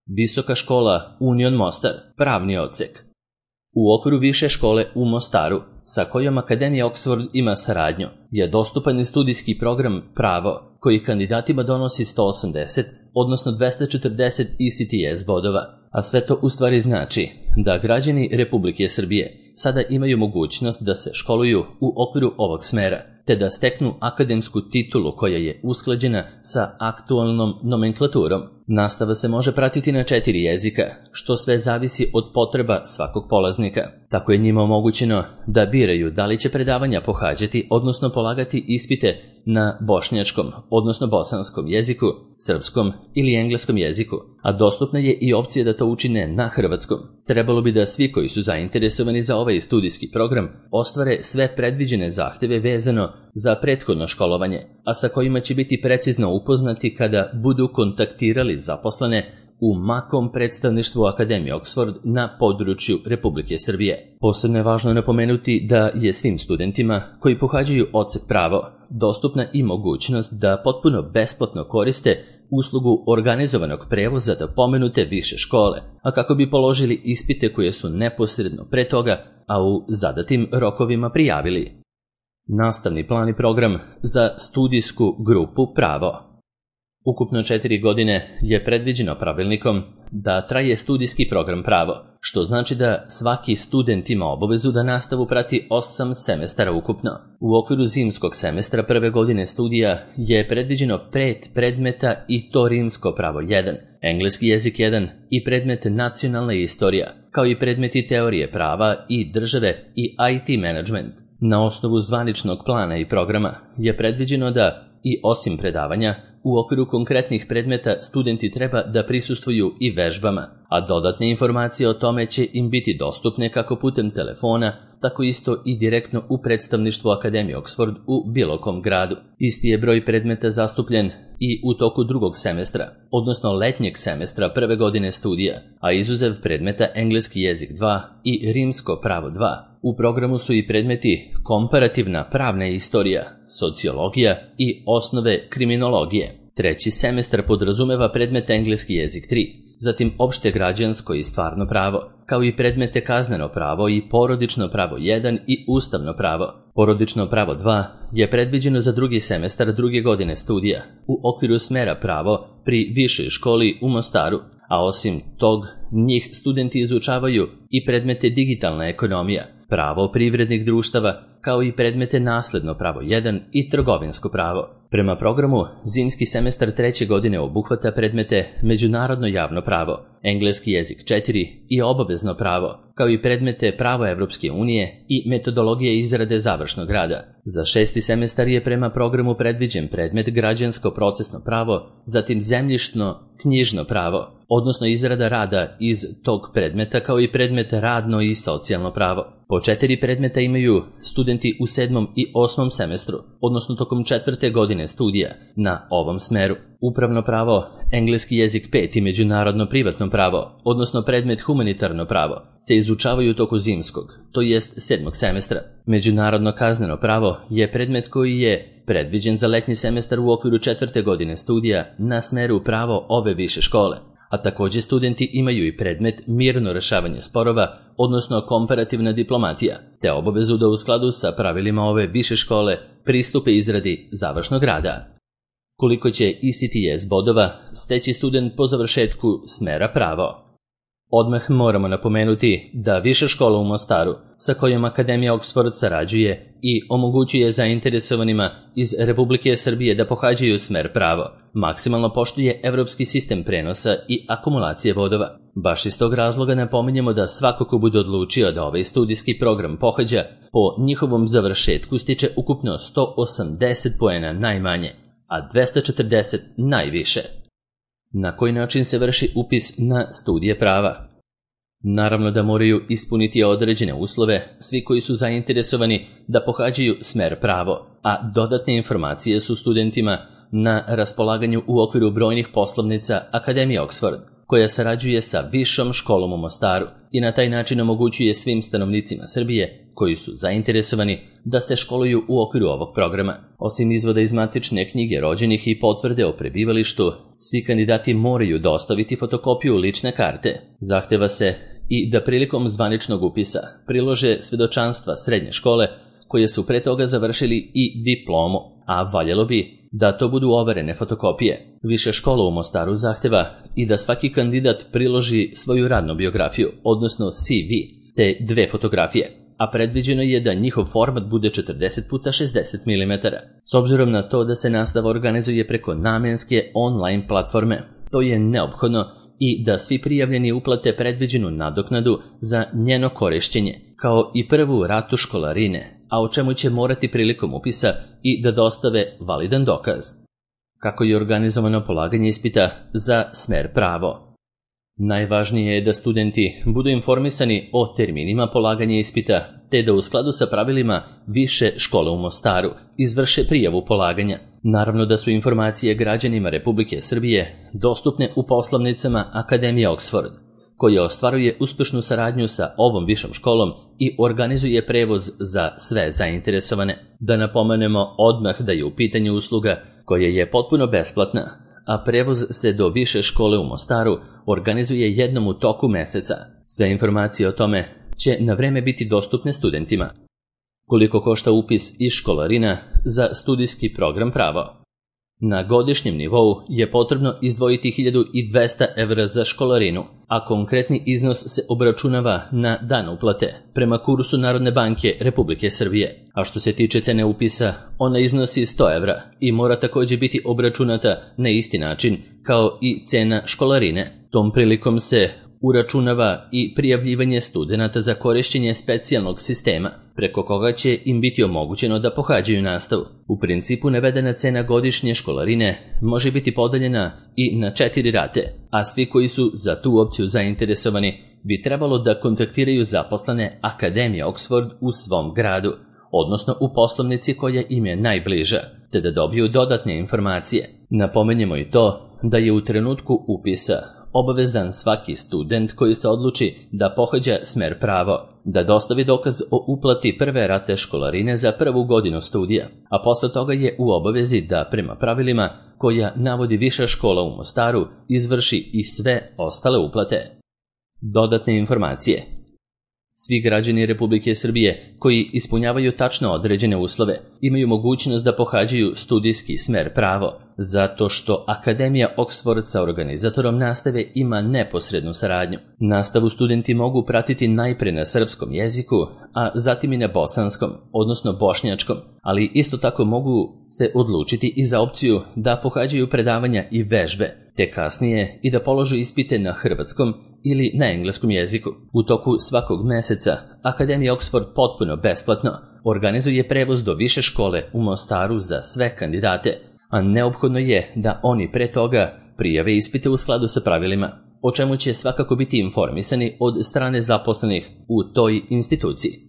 Visoka škola Union Mostar, pravni odsek. U okviru više škole u Mostaru, sa kojom Akademija Oxford ima saradnju, je dostupan i studijski program Pravo, koji kandidatima donosi 180, odnosno 240 ECTS bodova, a sve to u stvari znači da građani Republike Srbije sada imaju mogućnost da se školuju u okviru ovog smera, te da steknu akademsku titulu koja je usklađena sa aktualnom nomenklaturom. Nastava se može pratiti na 4 jezika, što sve zavisi od potreba svakog polaznika. Tako je njima omogućeno da biraju da li će predavanja pohađati, odnosno polagati ispite na bošnjačkom, odnosno bosanskom jeziku, srpskom ili engleskom jeziku, a dostupna je i opcija da to učine na hrvatskom. Trebalo bi da svi koji su zainteresovani za ovaj studijski program ostvare sve predviđene zahteve vezano za prethodno školovanje, a sa kojima će biti precizno upoznati kada budu kontaktirali zaposlene u makom predstavništvu Akademije Oxford na području Republike Srbije. Posebno je važno napomenuti da je svim studentima koji pohađaju odsek Pravo dostupna i mogućnost da potpuno besplatno koriste uslugu organizovanog prevoza do pomenute više škole, a kako bi položili ispite koje su neposredno pre toga, a u zadatim rokovima prijavili. Nastavni plan i program za studijsku grupu Pravo. Ukupno 4 godine je predviđeno pravilnikom da traje studijski program Pravo, što znači da svaki student ima obavezu da nastavu prati 8 semestara ukupno. U okviru zimskog semestra prve godine studija je predviđeno 5 predmeta i to rimsko pravo 1, engleski jezik 1 i predmet nacionalna istorija, kao i predmeti teorije prava i države i IT management. Na osnovu zvaničnog plana i programa je predviđeno da i osim predavanja, u okviru konkretnih predmeta studenti treba da prisustvuju i vežbama, a dodatne informacije o tome će im biti dostupne kako putem telefona, tako isto i direktno u predstavništvu Akademije Oxford u bilo kom gradu. Isti je broj predmeta zastupljen i u toku drugog semestra, odnosno letnjeg semestra prve godine studija, a izuzev predmeta engleski jezik 2 i rimsko pravo 2. U programu su i predmeti komparativna pravna istorija, sociologija i osnove kriminologije. Treći semestar podrazumeva predmet engleski jezik 3, zatim opšte građansko i stvarno pravo, kao i predmete kazneno pravo i porodično pravo 1 i ustavno pravo. Porodično pravo 2 je predviđeno za drugi semestar druge godine studija u okviru smera pravo pri višoj školi u Mostaru, a osim tog njih studenti izučavaju i predmete digitalna ekonomija, pravo privrednih društava, kao i predmete nasledno pravo 1 i trgovinsko pravo. Prema programu, zimski semestar treće godine obuhvata predmete međunarodno javno pravo, engleski jezik 4 i obavezno pravo, kao i predmete pravo Evropske unije i metodologije izrade završnog rada. Za 6. semestar je prema programu predviđen predmet građansko procesno pravo, zatim zemljišno knjižno pravo, odnosno izrada rada iz tog predmeta, kao i predmet radno i socijalno pravo. Po 4 predmeta imaju studenti u 7. i 8. semestru, odnosno tokom 4. godine studija na ovom smeru. Upravno pravo, engleski jezik 5 i međunarodno privatno pravo, odnosno predmet humanitarno pravo, se izučavaju u toku zimskog, to jest 7. semestra. Međunarodno kazneno pravo je predmet koji je predviđen za letnji semestar u okviru 4. godine studija na smeru pravo ove više škole. A također studenti imaju i predmet mirno rešavanje sporova, odnosno komparativna diplomatija, te obavezu da u skladu sa pravilima ove više škole pristupe izradi završnog rada. Koliko će ECTS bodova steći student po završetku smera pravo? Odmah moramo napomenuti da Viša škola u Mostaru, sa kojom Akademija Oxford sarađuje i omogućuje zainteresovanima iz Republike Srbije da pohađaju smer pravo, maksimalno poštuje evropski sistem prenosa i akumulacije bodova. Baš iz tog razloga napominjemo da svako ko bude odlučio da ovaj studijski program pohađa, po njihovom završetku stiče ukupno 180 poena najmanje, a 240 najviše. Na koji način se vrši upis na studije prava? Naravno da moraju ispuniti određene uslove svi koji su zainteresovani da pohađaju smer pravo, a dodatne informacije su studentima na raspolaganju u okviru brojnih poslovnica Akademije Oxford, koja sarađuje sa Višom školom u Mostaru i na taj način omogućuje svim stanovnicima Srbije koji su zainteresovani da se školuju u okviru ovog programa. Osim izvoda iz matične knjige rođenih i potvrde o prebivalištu, svi kandidati moraju dostaviti fotokopiju lične karte. Zahteva se i da prilikom zvaničnog upisa prilože svedočanstva srednje škole koje su pre toga završili i diplomu, a valjalo bi da to budu overene fotokopije. Više škola u Mostaru zahteva i da svaki kandidat priloži svoju radnu biografiju, odnosno CV, te 2 fotografije, a predviđeno je da njihov format bude 40x60 mm. S obzirom na to da se nastava organizuje preko namenske online platforme, to je neophodno i da svi prijavljeni uplate predviđenu nadoknadu za njeno korišćenje, kao i prvu ratu školarine, a o čemu će morati prilikom upisa i da dostave validan dokaz. Kako je organizovano polaganje ispita za smer pravo? Najvažnije je da studenti budu informisani o terminima polaganja ispita, te da u skladu sa pravilima više škole u Mostaru izvrše prijavu polaganja. Naravno da su informacije građanima Republike Srbije dostupne u poslovnicama Akademije Oxford, koja ostvaruje uspešnu saradnju sa ovom višom školom i organizuje prevoz za sve zainteresovane. Da napomenemo odmah da je u pitanju usluga koja je potpuno besplatna, a prevoz se do više škole u Mostaru organizuje jednom u toku meseca. Sve informacije o tome će na vreme biti dostupne studentima. Koliko košta upis i školarina za studijski program pravo? Na godišnjem nivou je potrebno izdvojiti 1200 evra za školarinu, a konkretni iznos se obračunava na dan uplate prema kursu Narodne banke Republike Srbije. A što se tiče cene upisa, ona iznosi 100 evra i mora također biti obračunata na isti način kao i cena školarine. Tom prilikom se uračunava i prijavljivanje studenata za korišćenje specijalnog sistema, preko koga će im biti omogućeno da pohađaju nastavu. U principu navedena cena godišnje školarine može biti podeljena i na 4 rate, a svi koji su za tu opciju zainteresovani bi trebalo da kontaktiraju zaposlene Akademije Oxford u svom gradu, odnosno u poslovnici koja im je najbliža, te da dobiju dodatne informacije. Napomenjemo i to da je u trenutku upisa obavezan svaki student koji se odluči da pohađa smer pravo, da dostavi dokaz o uplati prve rate školarine za prvu godinu studija, a posle toga je u obavezi da prema pravilima koja navodi viša škola u Mostaru izvrši i sve ostale uplate. Dodatne informacije. Svi građani Republike Srbije koji ispunjavaju tačno određene uslove imaju mogućnost da pohađaju studijski smer pravo, zato što Akademija Oxford sa organizatorom nastave ima neposrednu saradnju. Nastavu studenti mogu pratiti najpre na srpskom jeziku, a zatim i na bosanskom, odnosno bošnjačkom, ali isto tako mogu se odlučiti i za opciju da pohađaju predavanja i vežbe, te kasnije i da polože ispite na hrvatskom ili na engleskom jeziku. U toku svakog meseca Akademija Oxford potpuno besplatno organizuje prevoz do više škole u Mostaru za sve kandidate, a neophodno je da oni pre toga prijave ispite u skladu sa pravilima, o čemu će svakako biti informisani od strane zaposlenih u toj instituciji.